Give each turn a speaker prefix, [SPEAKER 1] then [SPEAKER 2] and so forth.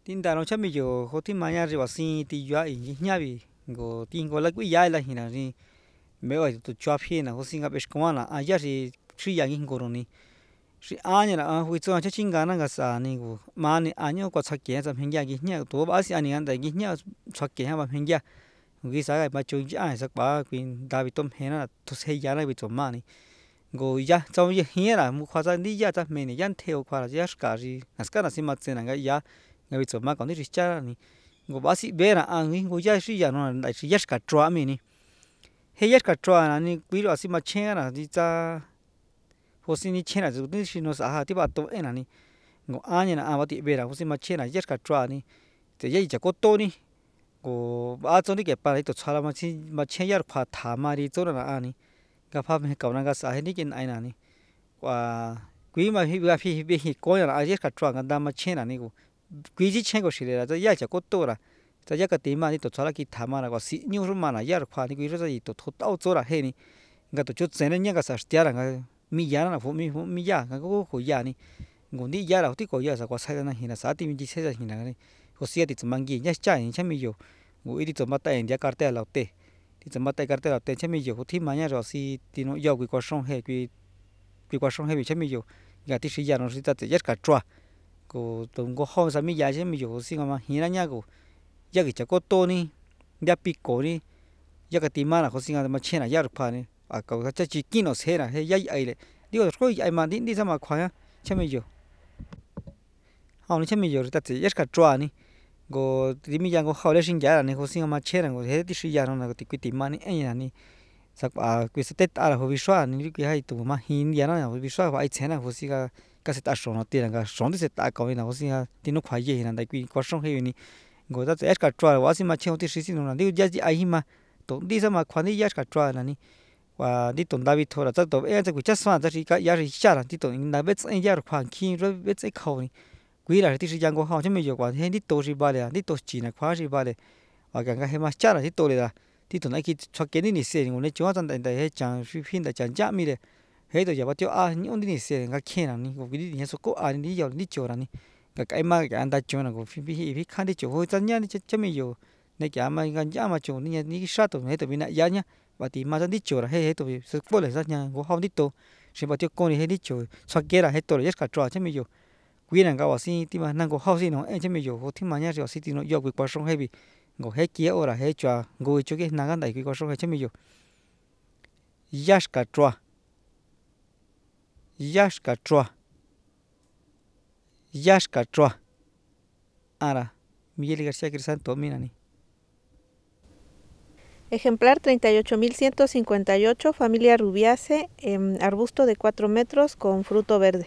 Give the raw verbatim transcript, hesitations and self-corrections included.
[SPEAKER 1] Tindanu chamiyo otimaya xikuaxin tiyua'a iñavi ngo tinko la kuiya lajina xi me'e tuchua fina oxinga vexkuana ayaxi xhiya inkonroni xhi añanra kuixon chinkana xa'a ningu mani año kuaxakexa nguia nguiña'a tuvaxia nguiña'a xakeña nguiña'a nguixa'a machuya xakua kuin ndavii tonjera tuxeya vito'o mani ngoya'a xauyenjiera kuaxandiya meni yanteo kua yaxkaxi axkana ximaxena ngaya navixma'a kondicha ngovaxi venrá ninguya xiya'a naxi kachua mini njeya kachua nani kuiyo ximachenra nditá oxinichena xa'a tivato enani no'o añena tivera oximachena yexkachuani teyei chakotoni koo vaxuu nikepanri tuxa'a xi macheya kua manri xunra nani ngajame kaxa'a niki nani kua kuima viji viji koña yeka chua ndama chenra ninguo kuichi chenko xhinre yacha kotonra tayaka tima'a xanra kitamara kuaxiñuu mana ya'á kuani kuixo tau xonra njeni ngatuxenra ñakaxtianrá miyanra njumi njumiya ujuu yani nguniyanra tikoya xakuaxa'a najina xati xa'a oxia tixmankiña chain chamiyo uu tumate cartera la ute tixmate cartera chemiyo timaña yoxi tinoya kuaxon njeki tikuaxojen chemiyo ñatixi yanu yexka chua kotongojo xamiya yemiyo xinamaji ñanguo yaki chakotoni ya'a pikonrí yakatimara kuxina machena ya'á kuani akaxhi chikino xenra yai aire dios kuya mandini xama'a kuaña chemiyo jon chemiyo exkachuani ngo ndimiya ngo xinga xinga machera xhiyanuu tikuiti mani ñani xakua xetanrá vixhua nikuia tuu majiniana vixhua xena kuxinga kaxitaxon tinranga xonixita kuxinga tinuu ye'e ndakui kuaxhon ngoda exka chua ximacheo xixi nunadiu yaima tundixma makuandiya kachua nani kua ndito ndavii tonra xato kuchaxua xhika xichanra tito navexen kuan kin vexen kaoni kuinra tixhiyango chimiyo njenito vanria nito china kuaxhi vanré kuakaje machanra nditonrera titoni xakenini xe'e nichón xande'e chan finda chanchaminré njendo ndavatua ñiunixé ngakenra ninguo xoko niyo nichonra ndakaima'a ndachón viji vijani cho'o xañani chemiyo niyama yama choniña nixatu vina yaña kuatimaya nichonra njeto xekole xaña'a ngojón xhikua koni nicho xakenra nixka chemiyo kuinra kavaxi tivananko xino chemiyo timaña xiti no'o yo kuaxon njevi ngojeki hora njechoa ngocho nanga kuaxo chemiyo yaxka chua yaxka chua yaxka chua anra Miguel Garcia Crisanto minrani.
[SPEAKER 2] Ejemplar treinta y ocho mil ciento cincuenta y ocho, familia Rubiaceae, eh, arbusto de cuatro metros con fruto verde.